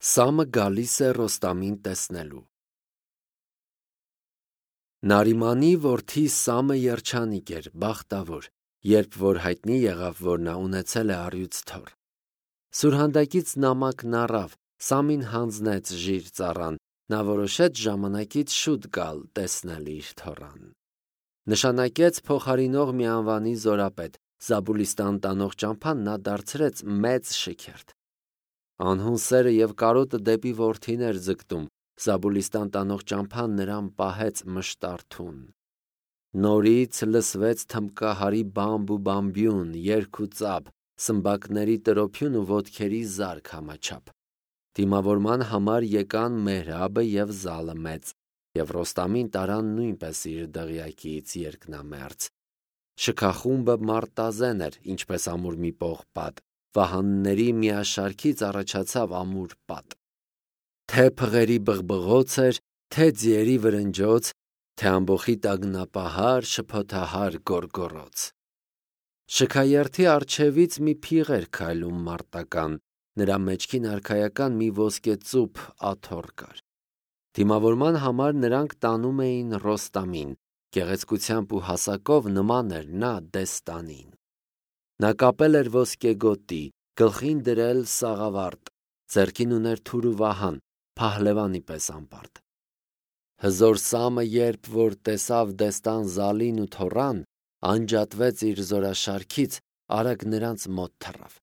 Սամը գալիս է Ռոստամին տեսնելու։ Նարիմանի որդի Սամը երջանիկ էր, բախտավոր, երբ որ հայտնի եղավ, որ նա ունեցել է առյուծ թոռ։ Սուրհանդակից նամակն առավ, Սամին հանձնեց ժիր ծառան, նա որոշեց ժամանակից շուտ գալ տեսնել իր թոռան։ Նշանակեց փոխարինող մի անվանի զորապետ, Զաբուլիստան տանող ճամփան նա դարձրեց մեծ շքերթ։ Անհուն սերը և կարոտը դեպի որդին էր ձգտում, Զաբուլիստան տանող ճամփան նրան պահեց մշտարթուն։ Նորից լսվեց թմբկահարի բամբ ու բամբյուն, երգ ու ծափ, սմբակների տրոփյուն ու ոտքերի զարկ համաչափ։ Դիմավորման համար եկան Մեհրաբը և Զալը մեծ, և Ռոստամին տարան նույնպես իր դղյակից երկնամերձ։ Շքախումբը մարտազեն էր, ինչպես ամուր մի պողպատ, վահանների միաշարքից առաջացավ ամուր պատ։ Թե փղերի բղբղոց էր, թե ձիերի վրնջոց, թե ամբոխի տագնապահար, շփոթահար գոռգոռոց։ Շքաերթի առջևից մի փիղ էր քայլում մարտական, նրա մեջքին արքայական մի ոսկեծուփ աթոռ կար։ Դիմավորման համար նրանք տանում էին Ռոստամին, գեղեցկությամբ ու հասակով նման էր նա Դեստանին։ Նա կապել էր ոսկեգոտի, գլխին դրել սաղավարտ, ձեռքին ուներ թուր ու վահան, փահլևանի պես անպարտ։ Հզոր Սամը, երբ որ տեսավ Դեստան Զալին ու թոռան, անջատվեց իր զորաշարքից, արագ նրանց մոտ թռավ։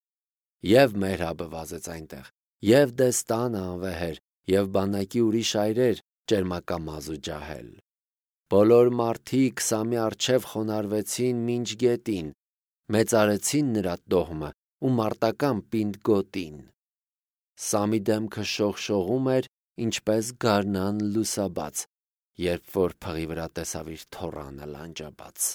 Եվ Մեհրաբը վազեց այնտեղ, և Դեստանը անվեհեր, և բանակի ուրիշ այրեր ճերմակամազ ու ջահել։ Բոլոր մարդիկ Սամի առջև խոնարհվեցին մինչ գետին, մեծարեցին նրա տոհմը ու մարտական պինդ գոտին։ Սամի դեմքը շողշողում էր, ինչպես գարնան լուսաբաց, երբ որ փղի վրա տեսավ իր թոռանը լանջաբաց։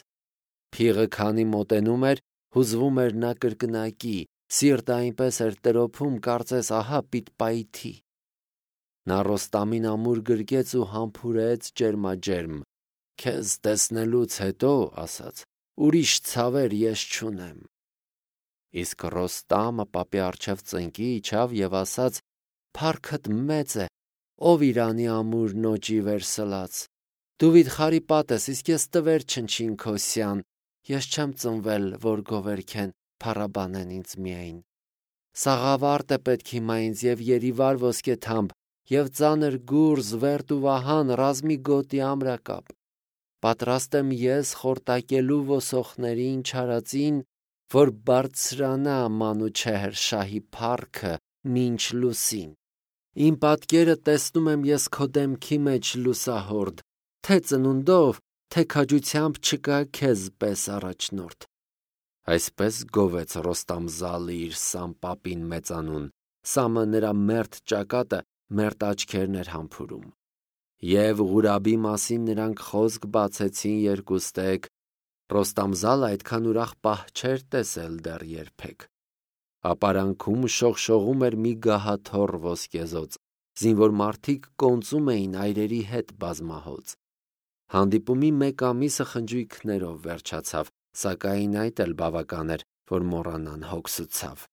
Փիղը քանի մոտենում էր, հուզվում էր նա կրկնակի, սիրտը այնպես էր տրոփում, կարծես ահա պիտի պայթի։ Նա Ռոստամին ամուր գրկեց ու համբուրեց ջերմաջերմ։ «Քեզ տեսնելուց հետո, ասաց, ուրիշ ցավեր ես չունեմ»։ Իսկ Ռոստամը պապի առջև ծնկի իջավ և ասաց. «Փառքդ մեծ է, ով Իրանի ամուր նոճի վերսլաց։ Դու վիթխարի պատ ես, իսկ ես տվեր չնչին քո սյան, ես չեմ ծնվել, որ գովերքեն, փառաբանեն ինձ միայն։ Սաղավարտ է պետք հիմա ինձ և երիվար ոսկեթամբ, և ծանր գուրզ, վերտ ու վահան, ռազմի գոտի ամրակապ։ Պատրաստ եմ ես խորտակելու ոսոխներին չարածին, որ բարձրանա Մանուչեհր շահի փառքը մինչ լուսին։ Իմ պատկերը տեսնում եմ ես քո դեմքի մեջ լուսահորդ, թե ծնունդով, թե քաջությամբ չկա քեզ պես առաջնորդ»։ Այսպես գովեց Ռոստամ Զալը իր Սամ պապին մեծանուն, Սամը նրա մերթ ճակատը, մերթ աչքերն էր համբուրում։ Եվ Ղուրաբի մասին նրանք խոսք բացեցին երկուստեք, Ռոստամ Զալը այդքան ուրախ պահ չէր տեսել դեռ երբեք։ Ապարանքում շողշողում էր մի գահաթոռ ոսկեզօծ, զինվոր մարդիկ կոնծում էին այրերի հետ բազմահոծ։ Հանդիպումի մեկ ամիսը խնջույքներով վերջացավ, սակայն այդ էլ բավական էր, որ մոռանան հոգս ու ցավ։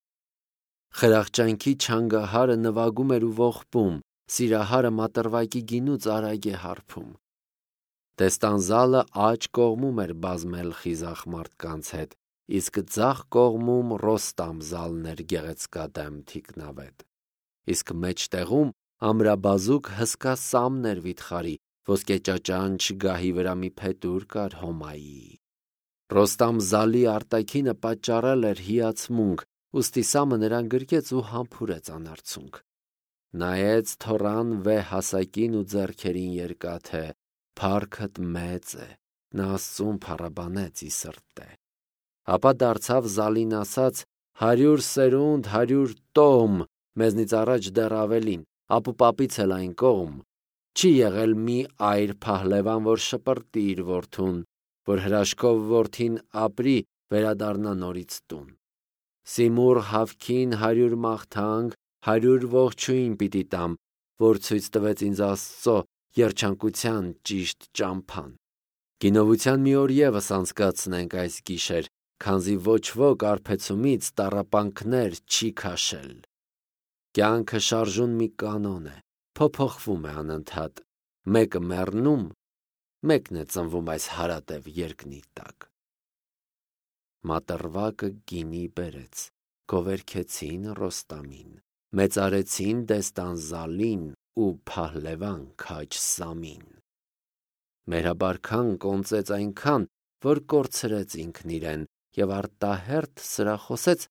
Խրախճանքի չանգահարը նվագում էր ու ողբում, սիրահարը մատրվակի գինուց արագ է հարբում։ Դեստան Զալը աջ կողմում էր բազմել խիզախ մարդկանց հետ, իսկ ձախ կողմում Ռոստամ Զալն էր գեղեցկադեմ թիկնավետ։ Իսկ մեջտեղում ամրաբազուկ հսկա Սամն էր վիթխարի, ոսկեճաճանչ գահի վրա մի փետուր կար հոմայի։ Ռոստամ Զալի արտաքինը պատճառել էր հիացմունք, ուստի Սամը նրան գրկեց ու համբուրեց անարցունք։ Նայեց թոռան վեհ հասակին ու ձեռքերին երկաթե. «Փառքդ մեծ է, նա Աստծուն փառաբանեց ի սրտե»։ Ապա դարձավ Զալին ասաց. «100 սերունդ, 100 տոհմ, մեզնից առաջ դեռ ավելին, ապուպապից էլ այն կողմ։ Չի եղել մի այր փահլևան, որ շպրտի իր որդուն, որ հրաշքով որդին ապրի, վերադառնա նորից տուն։ Սիմուռ հավքին 100 մաղթանք, 100 ողջույն պիտի տամ, որ ցույց տվեց ինձ Աստծո երջանկության ճիշտ ճամփան։ Գինովության մի օր ևս անցկացնենք այս գիշեր, քանզի ոչ ոք արբեցումից տառապանքներ չի քաշել»։ Կյանքը շարժուն մի կանոն է, փոփոխվում է անընդհատ, մեկը մեռնում, մեկն է ծնվում այս հարատև երկնի տակ։ Մատրվակը գինի բերեց, գովերքեցին Ռոստամին, մեծարեցին Դեստանզալին ու Փահլևան քաջ Սամին։ Մերաբարքան կոնծեց այնքան, որ կորցրեց ինքն իրեն և արտահերթ սրախոսեց,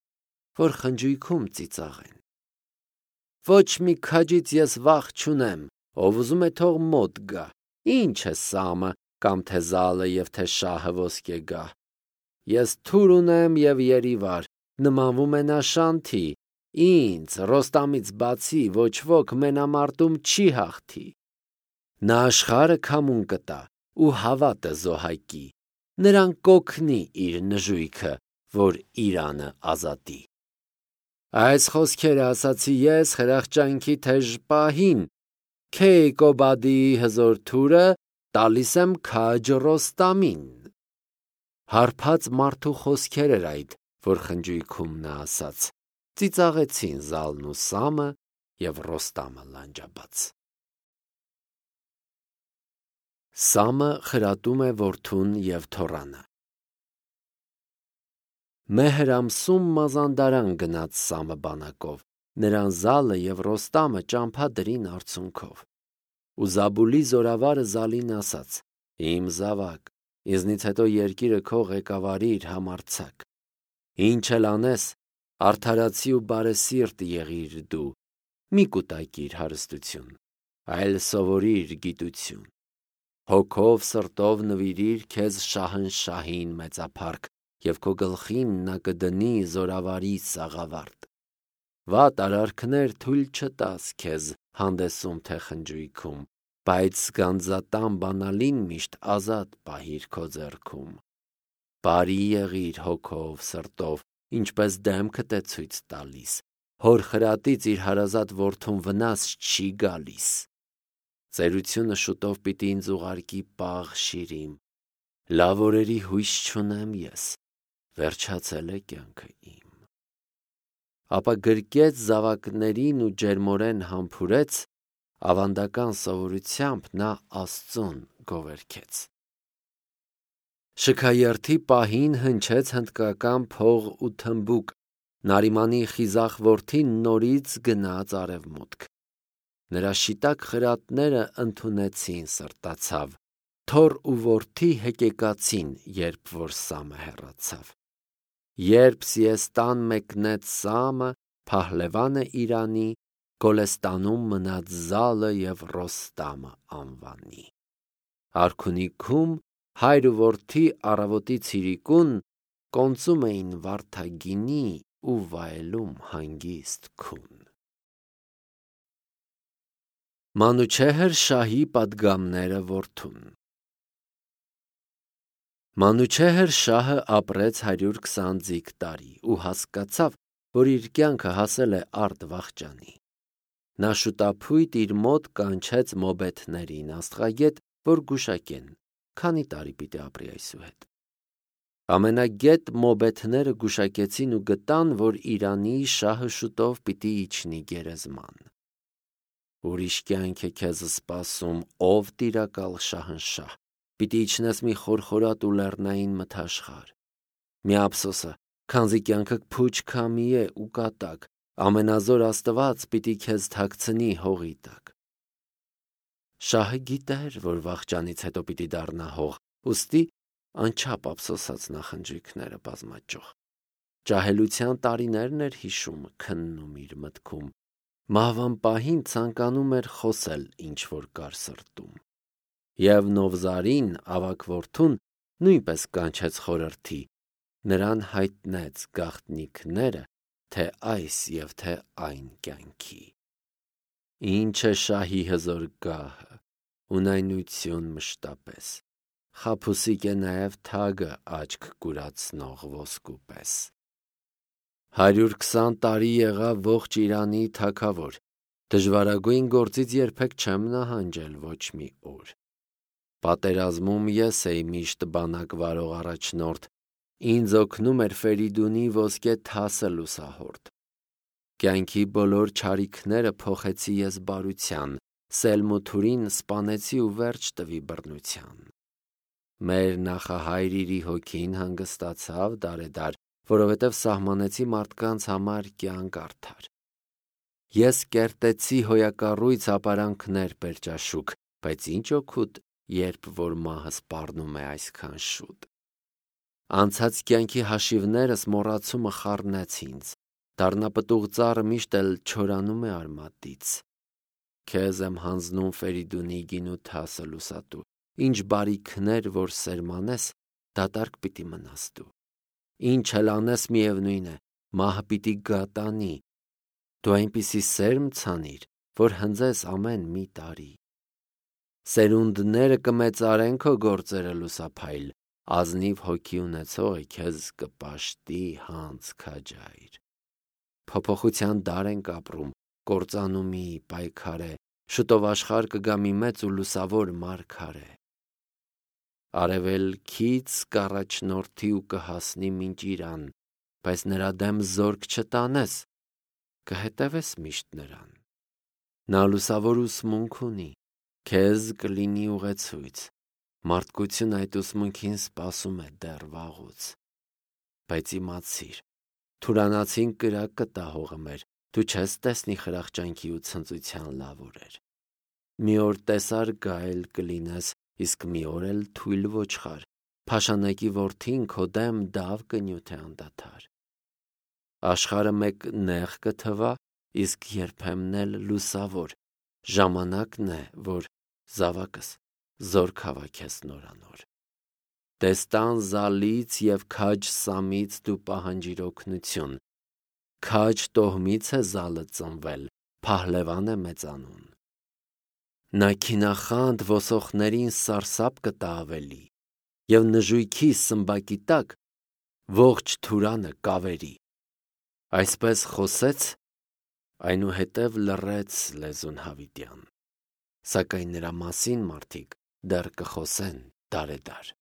որ խնջույքում ծիծաղեն։ Ոչ մի քաջից ես վախ չունեմ, ով ուզում է թող մոտ գա, ինչ է Սամը կամ թե Զալը և թե շահը ոսկե գա։ Ես թուր ունեմ և երիվար, նմանվում է նա Շանթի, ինձ Ռոստամից բացի ոչ ոք մենամարտում չի հաղթի։ Նա աշխարհը քամուն կտա ու հավատը զոհակի, նրան կօգնի իր նժույգը, որ Իրանը ազատի։ Այս խոսքերը ասացի ես խրախճանքի թեժ պահին, Քեյկոբադիի հզոր թուրը տալիս եմ քաջ Ռոստամին։ Հարբած մարդու խոսքեր էր այդ, որ խնջույքում նա ասաց, ծիծաղեցին Զալն ու Սամը և Ռոստամը լանջաբաց։ Սամը խրատում է որդուն և թոռանը։ Մեհր ամսում մազանդարան գնաց Սամը բանակով, նրան Զալը և Ռոստամը ճամփա դրին արցունքով։ Ու Զաբուլի զորավարը Զալին ասաց. Իմ զավակ, ինձնից հետո երկիրը քո ղեկավարիր համարձակ։ Ինչ էլ անես, արդարացի ու բարեսիրտ եղիր դու, մի կուտակիր հարստություն, այլ սովորիր գիտություն։ Հոգով սրտով նվիրիր քեզ Շահնշահին մեծափառք, և քո գլխին նա կդնի զորավարի սաղավարտ։ Վատ արարքներ թույլ չտաս քեզ հանդեսում թե խնջույքում, բայց գանձատան բանալին միշտ ազատ պահիր քո ձեռքում։ Բարի եղիր հոգով սրտով, ինչպես դեմքդ է ցույց տալիս, հոր խրատից իր հարազատ որդուն վնաս չի գալիս։ Ծերությունը շուտով պիտի ինձ ուղարկի պաղ շիրիմ, լավ օրերի հույս չունեմ ես, վերջացել է կյանքը իմ։ Ապա գրկեց զավակներին ու ջերմորեն համբուրեց, ավանդական սովորությամբ նա Աստծուն գովերքեց։ Շքայերթի պահին հնչեց հնդկական փող ու թմբուկ, Նարիմանի խիզախ որդին նորից գնաց արևմուտք։ Նրա շիտակ խրատները ընդունեցին սրտացավ, թոռ ու որդի հեկեկացին, երբ որ Սամը հեռացավ։ Երբ Սիեստան մեկնեց Սամը, Փահլևանը Իրանի, Գոլեստանում մնաց Զալը և Ռոստամը անվանի։ Արքունիքում հայր ու որդի առավոտի ցիրիկուն կոնծում էին վարդագինի ու վայելում հանգիստ քուն։ Մանուչեհր շահի պատգամները որդուն։ Մանուչեհր շահը ապրեց 120 ձիգ տարի ու հասկացավ, որ իր կյանքը հասել է արդ վախճանի։ Նա շուտափույտ իր մոտ կանչեց մոբեթներին, աստղագետ, որ գուշակեն, քանի տարի պիտի ապրի այսուհետ։ Ամենագետ մոբեթները գուշակեցին ու գտան, որ Իրանի շահը շուտով պիտի իջնի գերեզման։ Ուրիշ կյանք է քեզ սպասում, ով տիրակալ Շահնշահ, պիտի իջնես մի խորխորատ ու լեռնային մթաշխար։ Մի ափսոսը, քանզի կյանքդ փուչ քամի է ու կատակ, ամենազոր Աստված պիտի քեզ թաքցնի հողի տակ։ Շահը գիտեր, որ վախճանից հետո պիտի դառնա հող, ուստի անչափ ափսոսած նախնջույքները բազմաճյուղ։ Ջահելության տարիներն էր հիշում, քննում իր մտքում։ Մահվան պահին ցանկանում էր խոսել ինչ որ կար սրտում։ Եվ Նովզարին, ավագ որդուն, նույնպես կանչեց խորհրդի, նրան հայտնեց գաղտնիքները, թե այս և թե այն կյանքի։ Ինչ է շահի հզոր գահը, ունայնություն մշտապես, խաբուսիկ է նաև թագը աչք կուրացնող ոսկու պես։ 120 տարի եղավ ողջ Իրանի թագավոր, դժվարագույն գործից երբեք չեմ նահանջել ոչ մի օր։ Պատերազմում ես էի միշտ բանակ վարող առաջնորդ, ինձ օգնում էր Ֆերիդունի ոսկե թասը լուսահորդ։ Կյանքի բոլոր չարիքները փոխեցի ես բարության, սելմութուրին սպանեցի ու վերջ տվի բռնության։ Մեր նախահայրերի հոգին հանգստացավ դարեդար, որովհետև սահմանեցի մարդկանց համար կյանք արդար։ Ես կերտեցի հոյակառույց ապարանքներ պերճաշուք, բայց ինչ օգուտ, երբ որ մահը սպառնում է այսքան շուտ։ Անցած կյանքի հաշիվներս մոռացումը խառնեց ինձ, դառնապտուղ ծառը միշտ էլ չորանում է արմատից։ Քեզ եմ հանձնում Ֆերիդունի գինու թասը լուսատու, ինչ բարիքներ որ սերմանես, դատարկ պիտի մնաս դու։ Ինչ էլ անես միևնույն է, մահը պիտի գատանի։ Դու այնպիսի սերմ ցանիր, որ հնձես ամեն մի տարի։ Սերունդները կմեծարեն քո գործերը լուսափայլ, ազնիվ հոգի ունեցողը քեզ կպաշտի հանց քաջայր։ Փոփոխության դար ենք ապրում, կործանումի պայքարե, շուտով աշխարհ կգա մի մեծ ու լուսավոր մարգարե։ Արևելքից կառաջնորդի ու կհասնի մինչ Իրան, բայց նրա դեմ զորք չտանես, կհետևես միշտ նրան։ Նա լուսավոր ուսմունք ունի, քեզ կլինի ուղեցույց, մարդկություն այդ ուսմունքին սպասում է դեռ վաղուց։ Բայց իմացիր, թուրանացին կրակ կտա հողը մեր, դու չես տեսնի խրախճանքի ու ցնծության լավ օրեր։ Մի օր տեսար գայլ կլինես, իսկ մի օր էլ թույլ ոչխար, փաշանակի որդին քո դեմ դավ կնյութի անդադար։ Աշխարհը մեկ նեղ կթվա, իսկ երբեմն էլ լուսավոր, ժամանակն է, որ զավակս զորք հավաքես նորանոր։ Տեստան զալից և քաջ սամից դու պահանջիր օգնություն, քաջ տոհմից է զալը ծնվել, փահլևան է մեծանուն։ Նա քինախանդ ոսոխներին սարսափ կտա ավելի, և նժույքի սմբակի տակ ողջ թուրանը կավերի։ Այսպես խոսեց, այնուհետև լռեց լեզուն հավիտյան, սակայն նրա մասին մարդիկ դեռ կխոսեն դարեդար։